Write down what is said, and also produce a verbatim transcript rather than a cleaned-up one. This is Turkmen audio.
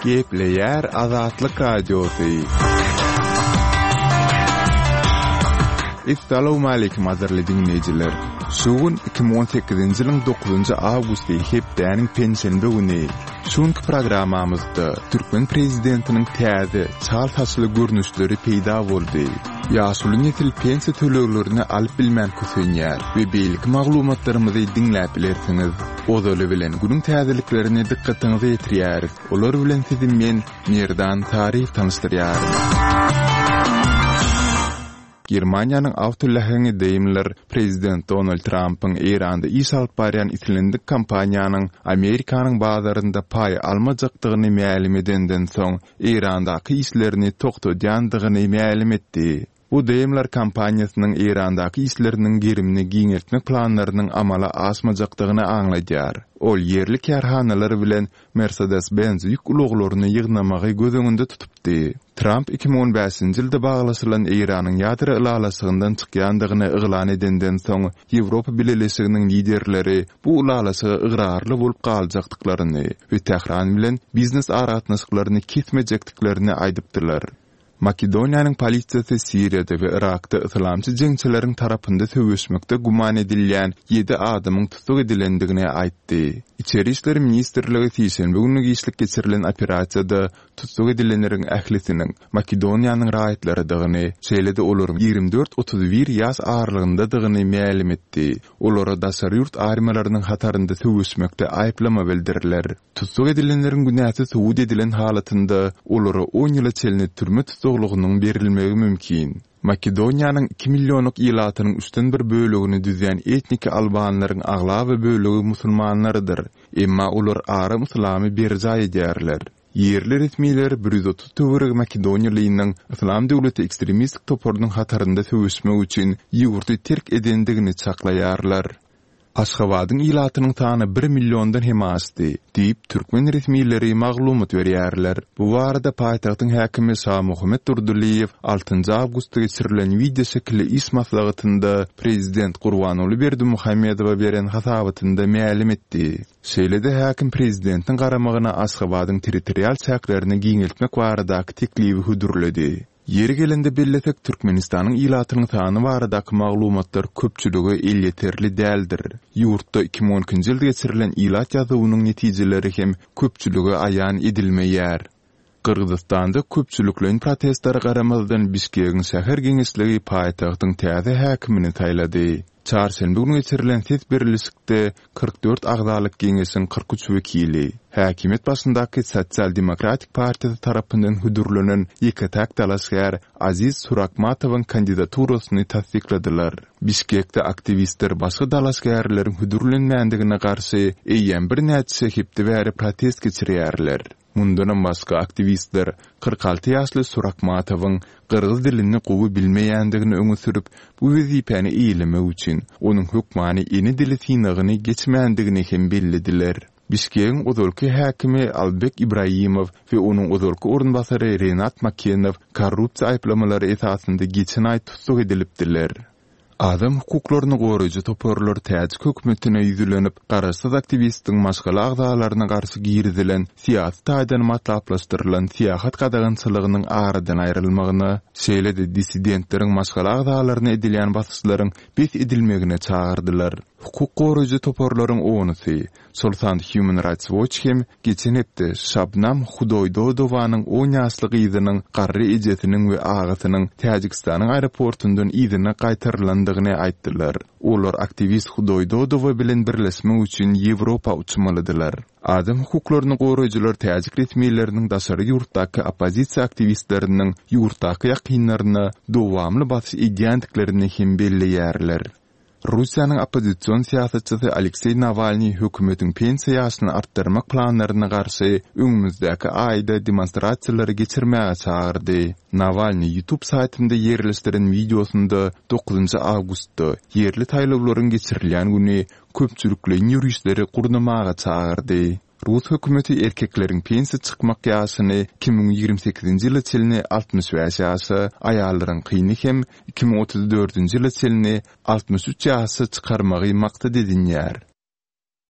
Gepleýär Azatlyk Radiosy. Essalawmaleýkim gadyrly diňleýjiler! Şu gün iki müň on sekizinji ýylyň dokuzynjy awgusty hepdäniň penşenbe güni. Şu günki programmamyzda türkmen prezidentiniň täze, çal saçly görnüşleri peýda boldy. Ýaşuly nesil pensiýa töleglerini alyp bilmän kösenýär we beýleki maglumatlarymyzy diňläp bilersiňiz. Ozaly bilen günüň täzeliklerini dykgatyňyza ýetirýäris. Olar bilen sizi men, Merdan Taryýew tanyşdyrýaryn. Germaniýanyň awtoläheňi Daimler prezident Donald Trampyň Eýranda iş alyp barýan islendik kompaniýanyň Amerikanyň bazarynda paý almajakdygyny mälim edenden soň, Eýrandaky işlerini togtadýandygyny mälim etdi. Bu Daimler kompaniýasynyň Eýrandaky işleriniň gerimini giňeltmek planlarynyň amala aşmajakdygyny aňladýar. Ol ýerli kärhanalar bilen Mercedes-Benz ýük ulaglaryny ýygnamagy göz öňünde tutupdy. Tramp iki müň on bäşinji ýylda baglaşylan Eýranyň ýadro ylalaşygyndan çykýandygyny yglan edenden soň, Ýewropa Bileleşiginiň liderleri bu ylalaşyga ygrarly bolup galjakdyklaryny we Tähran bilen biznes aragatnaşyklaryny kesmejekdiklerini aýdypdylar. Makedoniýanyň polisiýasy Siriýada we Yrakda yslamçy jeňçileriň tarapynda söweşmekde güman edilýän ýedi adamyň tussag edilendigini aýtdy. Içeri işler ministrligi sişenbe güni giçlik geçirilen operasiýada tussag edilenleriň ählisiniň Makedoniýanyň raýatlarydygyny, şeýle-de olaryň ýigrimi dört-otuz bir ýaş aralygyndadygyny mälim etdi. Olara daşary ýurt armiýalarynyň hatarynda söweşmekde aýyplama bildiriler. Tussag edilenleriň günäsi subut edilen halatynda olara on ýyla çenli türme tussaglygynyň berilmegi mümkin. Makedoniýanyň iki millionlyk ilatynyň üçden bir bölegini düzýän etniki albanlaryň aglaba bölegi musulmanlarydyr, emma olar aram yslamy berjaý edýärler. Ýerli resmiler bir ýüz otuz töweregi makedoniýalynyň Yslam döwleti ekstremistik toparynyň hatarynda söweşmek üçin ýurdy terk edendigini çaklaýarlar. Aşgabadyň ilatynyň sany bir milliondan hem aşdy, diýip, türkmen resmileri maglumat berýärler. Bu barada paýtagtyň häkimi Şamuhammet Durdylyýew altynjy awgustda geçirilen wideoşekilli iş maslahatynda prezident Gurbanguly Berdimuhamedowa beren hasabatynda mälim etdi. Şeýle-de häkim prezidentiň garamagyna Aşgabadyň territorial çäklerini giňeltmek baradaky teklibi hödürledi. Ýeri gelende bellesek, Türkmenistanyň ilatynyň sany baradaky maglumatlar köpçülige elýeterli däldir. Ýurtda iki müň on ikinji ýylda geçirilen ilat ýazuwynyň netijeleri hem köpçülige aýan edilmeýär. Gyrgyzystanda köpçülikleýin protestlere garamazdan Bişkegiň şäher geňeşligi paýtagtyň täze häkimini saýlady. Çarşenbe güni geçirilen ses berlişikde kyrk dört agzalyk geňeşiň kyrk üç wekili, häkimiýet başyndaky Sosial-demokratik partiýasy tarapyndan hödürlenen ýeke-täk dalaşgär Aziz Surakmatowyň kandidaturasyny tassykladylar. Bişkekde aktiwistler başga dalaşgärleriň hödürlenmändigine garşy eýýäm birnäçe hepde bäri protest geçirýärler. Mundanam başga aktiwistler kyrk alty ýaşly Surakmatowyň gyrgyz dilini gowy bilmeýändigini öňe sürüp, bu wezipäni eýelemek üçin onuň hökmany ene dili synagyny geçmändigini hem bellediler. Bişkegiň ozalky häkimi Albek Ibraimow we onuň ozalky orunbasary Renat Makenow korrupsiýa aýyplamalary esasynda geçen aý tussag edilipdiler. Adam hukuklaryny goraýjy toparlar täjik hökümetine ýüzlenip, garaşsyz aktiwistiň maşgala agzalaryna garşy girizilen syýasy taýdan matlaplaşdyrylan syýahat gadagançylygynyň aradan aýrylmagyna, şeýle-de dissidentleriň maşgala agzalaryna edilýän basyşlaryň bes edilmegine çagyrdylar. Hukuk goraýjy toparlaryň onusy, şol sanda Human Rights Watch hem geçen hepde Şabnam Hudoýdodowanyň on ýaşly gyzynyň garry ejesiniň we agasynyň Täjigistanyň aeroportundan yzyna gaýtarylandygyny aýtdylar. Olar aktiwist Hudoýdodowa bilen birleşmek üçin Ýewropa uçmalydylar. Adam hukuklaryny goraýjylar täjik resmileriniň daşary ýurtdaky oppozisiýa aktiwistleriniň ýurtdaky ýakynlaryna dowamly basyş edýändiklerini hem belleýärler. Russiýanyň oppozision syýasatçysy Alekseý Nawalnyý hökümetiň pensiýa ýaşyny artdyrmak planlaryna garşy öňümizdäki aýda demonstrasiýalary geçirmäge çagyrdy. Nawalnyý YouTube saýtynda ýerleşdiren wideosynda dokuzynjy awgustda ýerli saýlawlaryň geçirilýän güni köpçülikleýin ýörişleri gurnamaga çagyrdy. Rus hökümeti erkekleriň pensiýa çykmak ýaşyny iki müň ýigrimi sekizinji ýyla çenli altmyş bäş ýaşa, aýallaryňkyny hem iki müň otuz dördünji ýyla çenli altmyş üç ýaşa çykarmagy maksat edinýär.